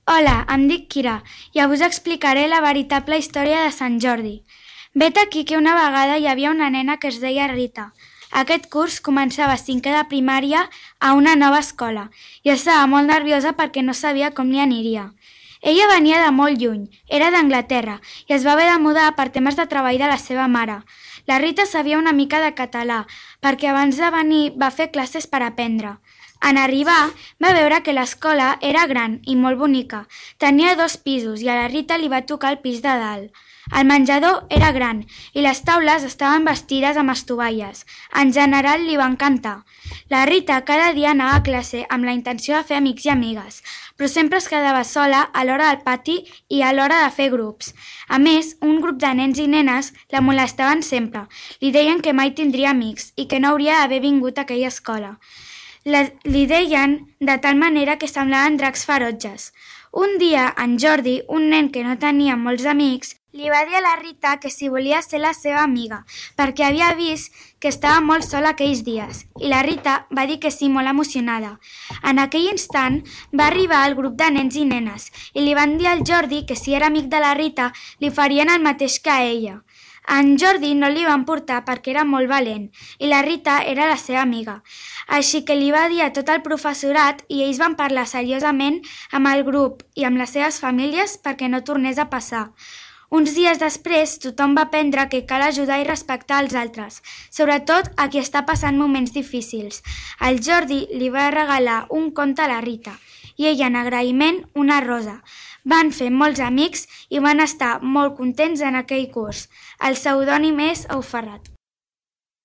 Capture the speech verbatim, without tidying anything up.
Hola, em dic Kira i avui us explicaré la veritable història de Sant Jordi. Vet aquí que una vegada hi havia una nena que es deia Rita. Aquest curs començava cinquè de primària a una nova escola i estava molt nerviosa perquè no sabia com li aniria. Ella venia de molt lluny, era d'Anglaterra i es va haver de mudar per temes de treball de la seva mare. La Rita sabia una mica de català perquè abans de venir va fer classes per aprendre. En arribar, va veure que l'escola era gran i molt bonica. Tenia dos pisos i a la Rita li va tocar el pis de dalt. El menjador era gran i les taules estaven vestides amb estovalles. En general li va encantar. La Rita cada dia anava a classe amb la intenció de fer amics i amigues, però sempre es quedava sola a l'hora del pati i a l'hora de fer grups. A més, un grup de nens i nenes la molestaven sempre. Li deien que mai tindria amics i que no hauria d'haver vingut a aquella escola. Li deien de tal manera que semblaven dracs ferotges. Un dia, en Jordi, un nen que no tenia molts amics, li va dir a la Rita que si volia ser la seva amiga, perquè havia vist que estava molt sola aquells dies, i la Rita va dir que sí, molt emocionada. En aquell instant va arribar el grup de nens i nenes, i li van dir al Jordi que si era amic de la Rita li farien el mateix que a ella. En Jordi no li van portar perquè era molt valent i la Rita era la seva amiga. Així que li va dir a tot el professorat i ells van parlar seriosament amb el grup i amb les seves famílies perquè no tornés a passar. Uns dies després, tothom va aprendre que cal ajudar i respectar els altres, sobretot a qui està passant moments difícils. El Jordi li va regalar un conte a la Rita i ella, en agraïment, una rosa. Van fer molts amics i van estar molt contents en aquell curs. El pseudònim és Auferrat.